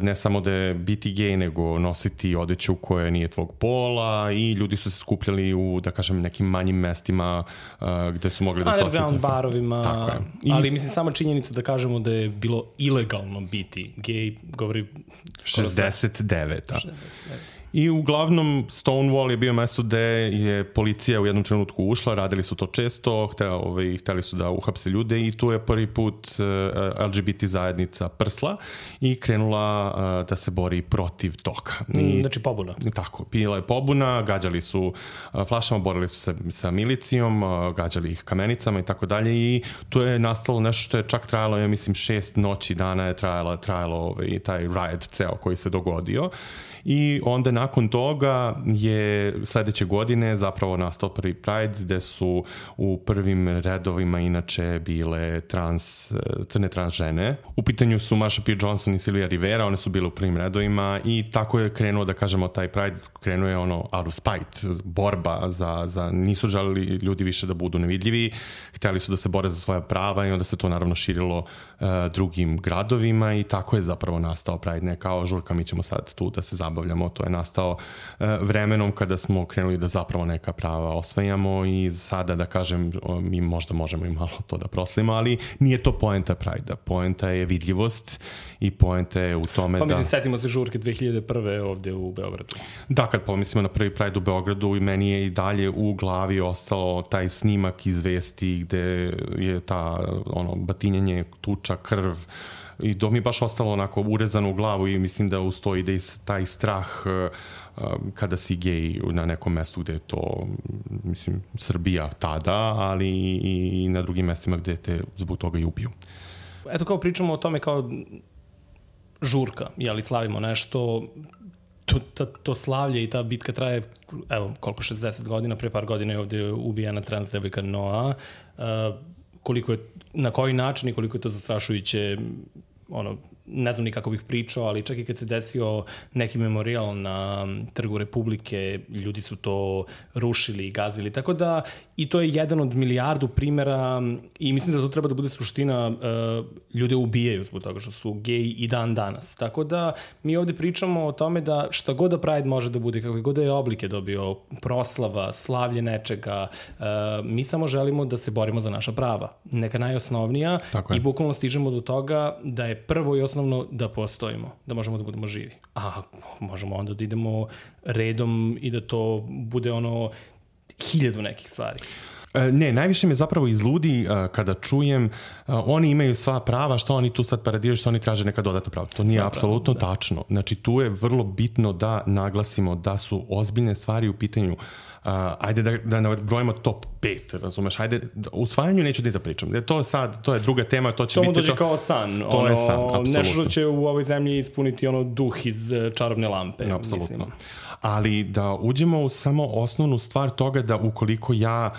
S2: Ne samo da je biti gej nego nositi odeću koja nije tvog pola i ljudi su se skupljali u, da kažem, nekim manjim mestima gde su mogli da se osjeti.
S1: Underground barovima, ali mislim sama činjenica da kažemo da je bilo ilegalno biti gej, govori
S2: 69. I uglavnom Stonewall je bio mesto gde je policija u jednom trenutku ušla, radili su to često, hteli su da uhapse ljude i tu je prvi put LGBT zajednica prsla i krenula da se bori protiv toga.
S1: Znači pobuna.
S2: Tako, bila je pobuna, gađali su flašama, borili su se sa milicijom, gađali ih kamenicama i tako dalje i tu je nastalo nešto što je čak trajalo, ja mislim 6 noći dana je trajalo taj riot ceo koji se dogodio. I onda nakon toga je sledeće godine zapravo nastao prvi Pride gde su u prvim redovima inače bile crne trans žene. U pitanju su Marsha P. Johnson i Sylvia Rivera, one su bile u prvim redovima i tako je krenuo, da kažemo, taj Pride krenuo je out of spite, borba za nisu želeli ljudi više da budu nevidljivi, hteli su da se bore za svoja prava i onda se to naravno širilo drugim gradovima i tako je zapravo nastao Pride, ne kao žurka, mi ćemo sad tu da se zabavljamo, to je nastao vremenom kada smo krenuli da zapravo neka prava osvajamo i sada, da kažem, mi možda možemo i malo to da proslavimo, ali nije to poenta Pride-a, poenta je vidljivost i poenta je u tome
S1: pa, mislim, setimo se žurke 2001. ovde u Beogradu.
S2: Da, kad pomislimo na prvi Pride u Beogradu i meni je i dalje u glavi ostao taj snimak iz vesti gde je ta batinjanje, tuča, krv i to mi je baš ostalo onako urezano u glavu i mislim da ustoji da i taj strah kada si gej na nekom mestu gde je to, mislim, Srbija tada, ali i na drugim mestima gde te zbog toga i ubiju.
S1: Eto, kao pričamo o tome kao žurka, jeli slavimo nešto, to slavlje i ta bitka traje, evo, koliko, 60 godina, pre par godina je ovde ubijena trans devojka Noa, koliko je, na koji način i koliko je to zastrašujuće, ne znam ni kako bih pričao, ali čak i kad se desio neki memorijal na Trgu Republike, ljudi su to rušili i gazili, tako da i to je jedan od milijardu primera i mislim da to treba da bude suština, ljude ubijaju zbog toga što su geji i dan danas. Tako da mi ovde pričamo o tome da šta god da Pride može da bude, kakve god da je oblike dobio, proslava, slavlje nečega, mi samo želimo da se borimo za naša prava. Neka najosnovnija i bukvalno stižemo do toga da je prvo i osnovno da postojimo, da možemo da budemo živi. A možemo onda da idemo redom i da to bude 1000 nekih stvari.
S2: Ne, najviše me zapravo izludi kada čujem oni imaju sva prava, što oni tu sad paradiraju, što oni traže neka dodatna prava. To nije apsolutno tačno. Znači, tu je vrlo bitno da naglasimo da su ozbiljne stvari u pitanju. Ajde da nabrojimo top 5, razumeš, ajde, u usvajanju neću da pričam, to je druga tema, to će biti...
S1: To mu dođe kao san,
S2: to je san, apsolutno.
S1: Nešto će u ovoj zemlji ispuniti duh iz čarobne lampe.
S2: Apsolutno.
S1: Mislim.
S2: Ali da uđemo u samo osnovnu stvar toga da ukoliko ja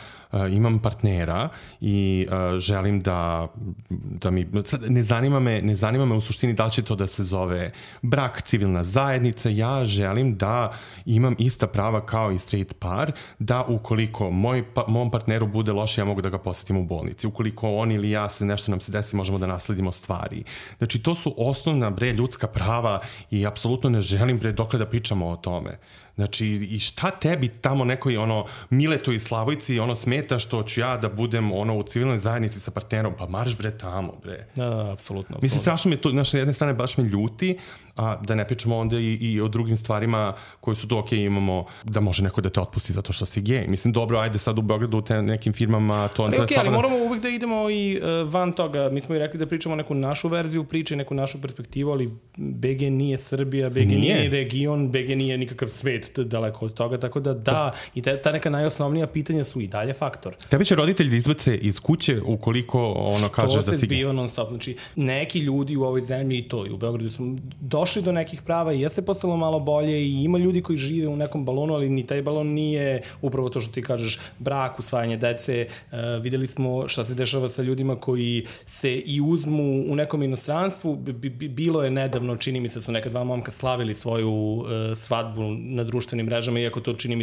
S2: imam partnera i želim da mi... Ne zanima me u suštini da li će to da se zove brak, civilna zajednica, ja želim da imam ista prava kao i straight par, da ukoliko mom partneru bude loše, ja mogu da ga posetim u bolnici. Ukoliko on ili ja nešto nam se desi, možemo da nasledimo stvari. Znači, to su osnovna, ljudska prava i apsolutno ne želim, dokle da pričamo o tome. Znači, i šta tebi tamo nekoj Miletu i Slavojci smeta što ću ja da budem u civilnoj zajednici sa partnerom, pa marš tamo,
S1: Da, apsolutno.
S2: Mislim, strašno me to, na jedne strane baš me ljuti, a da ne pričamo onda i o drugim stvarima koji su to okej, imamo da može neko da te otpusti zato što si gej. Mislim, dobro, ajde sad u Beogradu u nekim firmama to...
S1: Ali moramo uvijek da idemo i van toga. Mi smo i rekli da pričamo neku našu verziju priče, neku našu perspektivu, ali BG nije Srbija, BG nije region, BG nije nikakav svet daleko od toga, tako da i ta neka najosnovnija pitanja su i dalje faktor.
S2: Tebe će roditelj da izbace iz kuće ukoliko kaže da si...
S1: Što se zbiva non stop. Znači, neki ljudi u ovoj zemlji i to, i u Beogradu su došli do nekih prava i se postalo malo bolje i ima ljudi koji žive u nekom balonu, ali ni taj balon nije upravo to što ti kažeš, brak, usvajanje dece. Videli smo šta se dešava sa ljudima koji se i uzmu u nekom inostranstvu. Bilo je nedavno, čini mi se, su neka dva momka slavili svoju svadbu na društvenim mrežama, iako to čini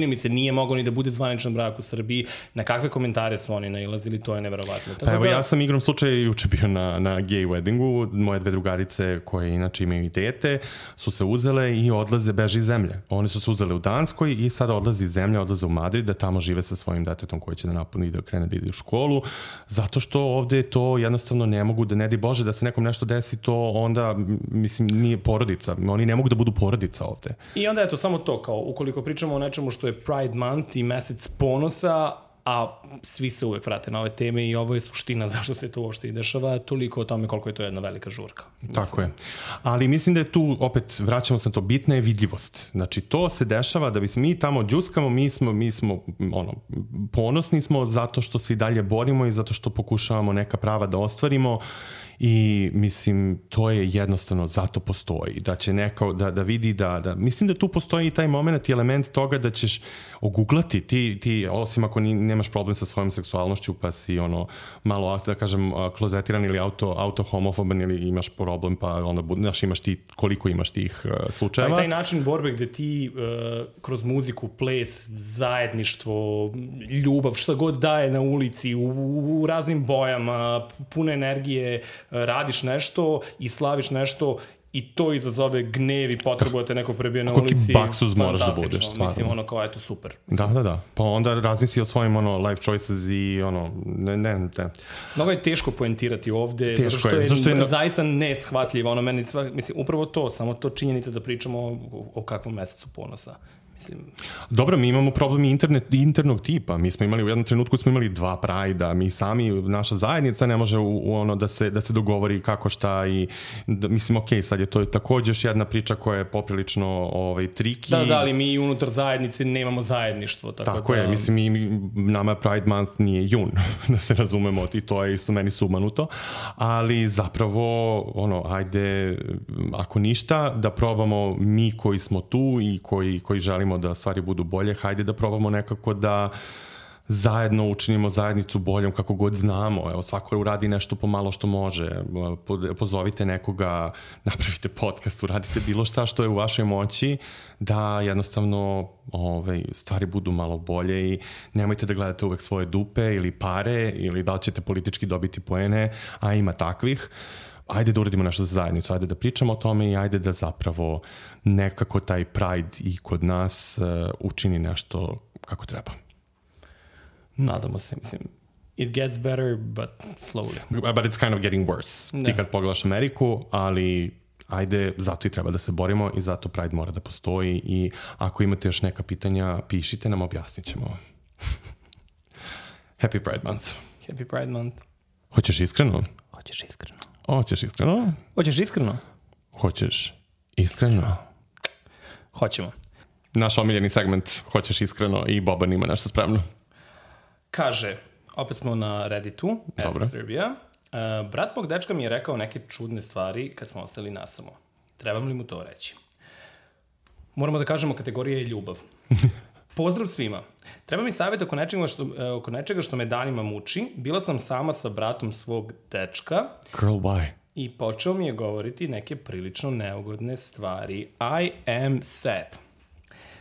S1: mi se nije moglo ni da bude zvaničan brak u Srbiji. Na kakve komentare su oni nailazili, to je neverovatno.
S2: Pa evo, ja sam igrom slučaja juče bio na gay weddingu, moje 2 drugarice koje inače imaju i dete su se uzele i beže iz zemlje. Oni su se uzele u Danskoj i sada odlaze iz zemlje, odlaze u Madrid da tamo žive sa svojim detetom koji će da napuni i da krene da ide u školu, zato što ovde to jednostavno ne mogu da, ne di Bože, da se nekom nešto desi, to onda, mislim, nije porodica. Oni ne mogu da budu porodica ovde.
S1: I onda eto, samo to, kao ukoliko pričamo o nečemu što je Pride Month i mesec ponosa, a svi se uvek vrate na ove teme i ovo je suština zašto se to uopšte i dešava, toliko o tome koliko je to jedna velika žurka. Mislim.
S2: Tako je. Ali mislim da je tu, opet, vraćamo se na to, bitna je vidljivost. Znači, to se dešava da bi se mi tamo džuskamo, mi smo ponosni smo zato što se i dalje borimo i zato što pokušavamo neka prava da ostvarimo. I mislim, to je jednostavno, zato postoji, da će neko da vidi da mislim da tu postoji i taj moment i element toga da ćeš oguglati ti osim ako nemaš problem sa svojom seksualnošću pa si malo, da kažem, klozetiran ili auto-homofoban ili imaš problem pa onda imaš ti, koliko imaš tih slučajeva.
S1: Pa i taj način borbe gde ti kroz muziku, ples, zajedništvo, ljubav, šta god daje na ulici, u raznim bojama, pune energije, radiš nešto i slaviš nešto i to izazove gnev i potrebu da te neko prebije na ulici.
S2: Koliki baksuz moraš da budeš, stvarno.
S1: Mislim, kao eto, super. Mislim.
S2: Da. Pa onda razmisli o svojim life choices i ne.
S1: Mnogo je teško poentirati ovde, zato što je zaista neshvatljivo. Mislim, upravo to, samo to činjenica da pričamo o kakvom mesecu ponosa.
S2: Dobro, mi imamo problem internog tipa. Mi smo imali, u jednom trenutku smo imali 2 Prajda, mi sami, naša zajednica ne može da se dogovori kako šta i mislim, okej, sad je to takođe još jedna priča koja je poprilično triki.
S1: Da, ali mi unutar zajednice nemamo zajedništvo.
S2: Tako je, mislim, nama Pride Month nije jun, da se razumemo, i to je isto meni sumanuto, ali zapravo, ajde, ako ništa, da probamo mi koji smo tu i koji želimo da stvari budu bolje, hajde da probamo nekako da zajedno učinimo zajednicu boljom kako god znamo. Evo, svako uradi nešto pomalo što može. Pozovite nekoga, napravite podcast, uradite bilo šta što je u vašoj moći da jednostavno stvari budu malo bolje i nemojte da gledate uvek svoje dupe ili pare ili da li ćete politički dobiti poene, a ima takvih. Ajde da uradimo nešto za zajednicu, ajde da pričamo o tome i ajde da zapravo nekako taj Pride i kod nas učini nešto kako treba.
S1: Nadamo se, mislim. It gets better, but slowly.
S2: But it's kind of getting worse. Ti kad pogledaš Ameriku, ali ajde, zato i treba da se borimo i zato Pride mora da postoji i ako imate još neka pitanja, pišite nam, objasnit ćemo. Happy Pride Month.
S1: Happy Pride Month.
S2: Hoćeš iskreno?
S1: Hoćeš iskreno.
S2: Hoćeš iskreno?
S1: Hoćeš iskreno?
S2: Hoćeš iskreno?
S1: Hoćemo.
S2: Naš omiljeni segment, hoćeš iskreno, i Boban ima nešto spremno.
S1: Kaže, opet smo na Redditu, Srbija. Brat mog dečka mi je rekao neke čudne stvari kad smo ostali nasamo. Trebam li mu to reći? Moramo da kažemo, kategorija je ljubav. Pozdrav svima. Treba mi savjet oko nečega što me danima muči. Bila sam sama sa bratom svog dečka.
S2: Girl, why?
S1: I počeo mi je govoriti neke prilično neugodne stvari. I am sad.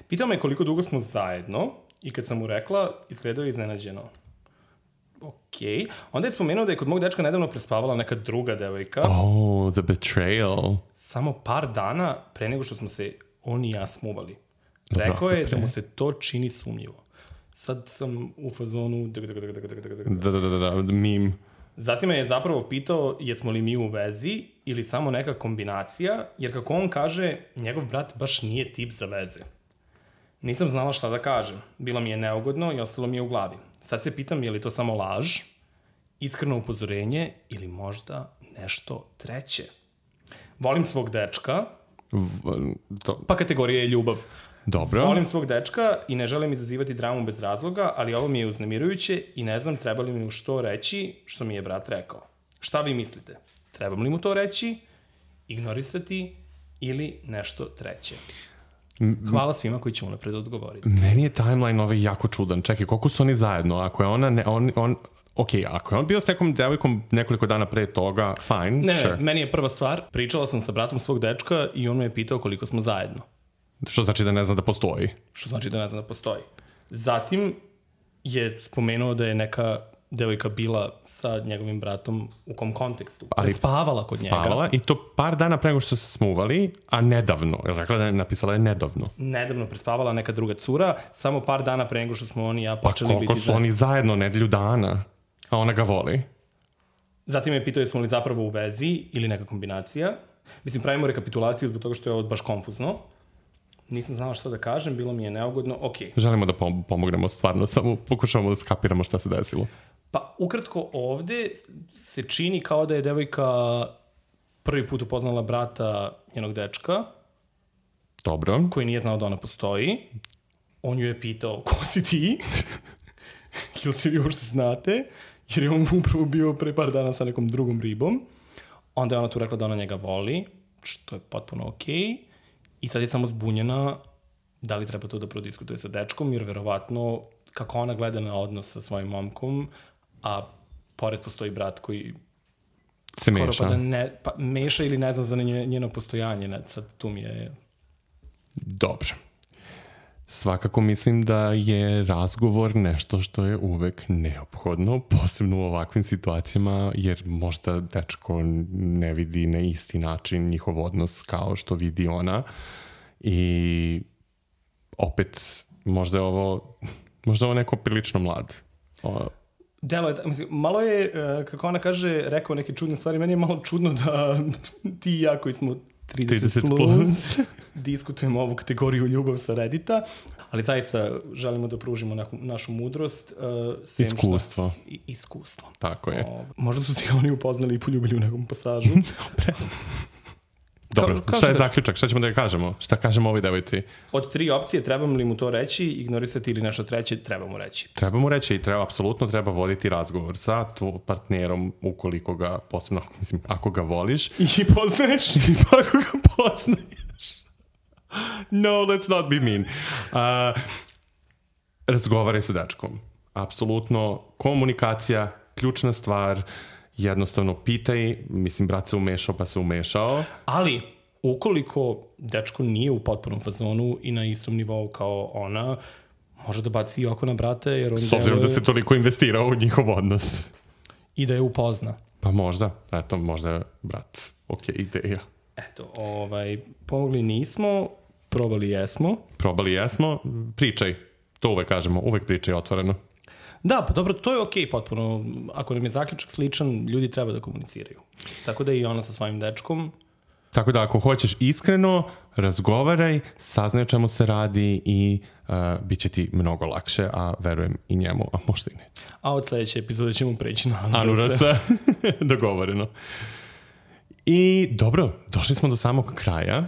S1: Pitao me koliko dugo smo zajedno i kad sam mu rekla, izgledao je iznenađeno. Okej. Onda je spomenuo da je kod mog dečka nedavno prespavala neka druga devojka.
S2: Oh, the betrayal.
S1: Samo par dana pre nego što smo se on i ja smuvali. Rekao je da mu se to čini sumnjivo. Sad sam u fazonu...
S2: Da, meme.
S1: Zatim me je zapravo pitao jesmo li mi u vezi ili samo neka kombinacija, jer kako on kaže, njegov brat baš nije tip za veze. Nisam znala šta da kažem. Bilo mi je neugodno i ostalo mi je u glavi. Sad se pitam je li to samo laž, iskreno upozorenje ili možda nešto treće. Volim svog dečka, pa kategorija je ljubav.
S2: Dobro.
S1: Volim svog dečka i ne želim izazivati dramu bez razloga, ali ovo mi je uznemirujuće i ne znam treba li mi što reći što mi je brat rekao. Šta vi mislite? Trebam li mu to reći, ignorisati ili nešto treće? Hvala svima koji će mu napred odgovoriti.
S2: Meni je timeline jako čudan. Čekaj, koliko su oni zajedno? Ako je ona... ako je on bio s nekom devojkom nekoliko dana pre toga, fine,
S1: sure. Meni je prva stvar, pričala sam sa bratom svog dečka i on me je pitao koliko smo zajedno.
S2: Što znači da ne zna da postoji.
S1: Što znači da ne zna da postoji. Zatim je spomenuo da je neka devojka bila sa njegovim bratom u kom kontekstu. Ali spavala kod njega.
S2: Spavala i to par dana pre nego što se smuvali, a nedavno. Jel rekla da je napisala je nedavno?
S1: Nedavno prespavala neka druga cura, samo par dana pre nego što smo oni i ja počeli biti...
S2: Pa koliko su oni zajedno, nedelju dana, a ona ga voli.
S1: Zatim je pitao jesmo li zapravo u vezi ili neka kombinacija. Mislim, pravimo rekapitulaciju zbog toga što je ovo baš konfuzno. Nisam znala šta da kažem, bilo mi je neugodno, okej.
S2: Želimo da pomognemo stvarno, samo pokušavamo da skapiramo šta se desilo.
S1: Pa ukratko ovde se čini kao da je devojka prvi put upoznala brata njenog dečka.
S2: Dobro.
S1: Koji nije znao da ona postoji. On ju je pitao, ko si ti? Ili se vi uopšte znate? Jer je on upravo bio pre par dana sa nekom drugom ribom. Onda je ona tu rekla da ona njega voli, što je potpuno okej. I sad je samo zbunjena da li treba to da prodiskutuje sa dečkom, jer verovatno kako ona gleda na odnos sa svojim momkom, a pored postoji brat koji
S2: se meša.
S1: Pa meša ili ne zna za njeno postojanje. Sad tu mi je...
S2: Dobro. Svakako mislim da je razgovor nešto što je uvek neophodno, posebno u ovakvim situacijama, jer možda dečko ne vidi na isti način njihov odnos kao što vidi ona. I opet, možda je ovo neko prilično mlad.
S1: Delo je, mislim, malo je, kako ona kaže, rekao neke čudne stvari. Meni je malo čudno da ti i ja koji smo 30 plus diskutujemo ovu kategoriju ljubav sa Reddita, ali zaista želimo da pružimo našu mudrost.
S2: Iskustvo.
S1: Iskustvo.
S2: Tako je.
S1: Možda su se oni upoznali i poljubili u nekom pasažu.
S2: Dobro, šta je zaključak? Šta ćemo da ga kažemo? Šta kažemo ovoj devojci?
S1: Od 3 opcije trebam li mu to reći, ignorisati ili nešto treće, treba mu reći.
S2: Treba mu reći i apsolutno treba voditi razgovor sa partnerom ukoliko ga, posebno, mislim, ako ga voliš.
S1: I poznaješ.
S2: I ako ga poznaješ. No, let's not be mean. Razgovaraj sa dečkom. Apsolutno, komunikacija, ključna stvar. Jednostavno pitaj, mislim, brat se umešao pa se umešao.
S1: Ali, ukoliko dečko nije u potpunom fazonu i na istom nivou kao ona, može da baci i oko na brata, jer on
S2: s obzirom da se toliko investirao u njihov odnos.
S1: I da je upozna.
S2: Pa možda, eto, možda je brat. Ok, ideja.
S1: Eto, pomogli nismo, probali jesmo.
S2: Probali jesmo, pričaj. To uvek kažemo, uvek pričaj otvoreno.
S1: Da, pa dobro, to je okej potpuno. Ako nam je zaključak sličan, ljudi treba da komuniciraju. Tako da i ona sa svojim dečkom.
S2: Tako da ako hoćeš iskreno, razgovaraj, saznaj o čemu se radi i bit će ti mnogo lakše, a verujem i njemu, a možda i ne.
S1: A od sledeće epizode ćemo preći na
S2: Anurasa. Dogovoreno. I dobro, došli smo do samog kraja.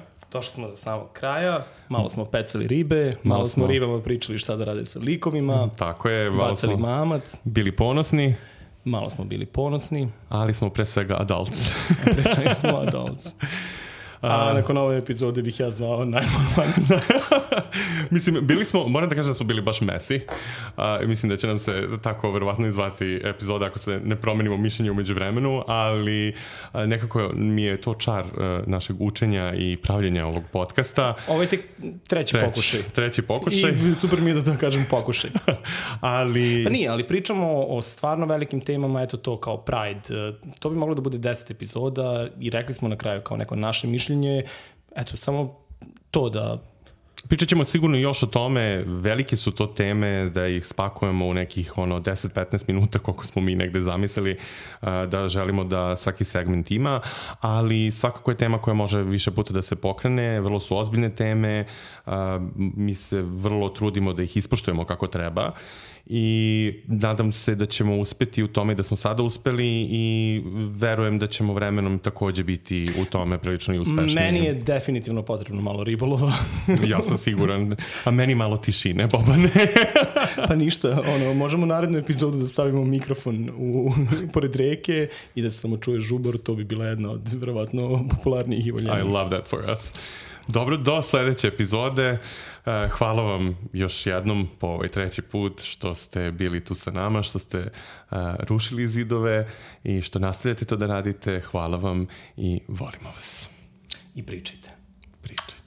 S1: Malo smo pecali ribe, malo smo ribama pričali šta da rade sa likovima.
S2: Tako je.
S1: Bacali mamac.
S2: Bili ponosni.
S1: Malo smo bili ponosni.
S2: Ali smo pre svega adults.
S1: Pre svega smo adults. A nakon ove epizode bih ja zvao najnormalnije.
S2: Mislim, moram da kažem da smo bili baš messy. Mislim da će nam se tako verovatno izvati epizoda ako se ne promenimo mišljenje u međuvremenu, ali nekako mi je to čar našeg učenja i pravljenja ovog podcasta.
S1: Ovo je tek treći pokušaj. I super mi je da kažem pokušaj.
S2: Ali...
S1: Pa nije, ali pričamo o stvarno velikim temama, eto to kao Pride. To bi moglo da bude 10 epizoda i rekli smo na kraju kao neko naše mišljenje. Eto, samo to da...
S2: Pričat ćemo sigurno još o tome, velike su to teme da ih spakujemo u nekih 10-15 minuta koliko smo mi negde zamislili da želimo da svaki segment ima, ali svakako je tema koja može više puta da se pokrene, vrlo su ozbiljne teme, mi se vrlo trudimo da ih ispoštujemo kako treba i nadam se da ćemo uspeti u tome da smo sada uspeli i verujem da ćemo vremenom takođe biti u tome prilično i uspešniji.
S1: Meni je definitivno potrebno malo ribolova.
S2: Ja sam siguran. A meni malo tišine, Bobane.
S1: Pa ništa, možemo u narednu epizodu da stavimo mikrofon pored reke i da se samo čuje žubor, to bi bila jedna od verovatno popularnijih i voljenijih.
S2: I love that for us. Dobro, do sledeće epizode. Hvala vam još jednom po ovaj 3. put što ste bili tu sa nama, što ste rušili zidove i što nastavljate to da radite. Hvala vam i volimo vas.
S1: I pričajte.
S2: Pričajte.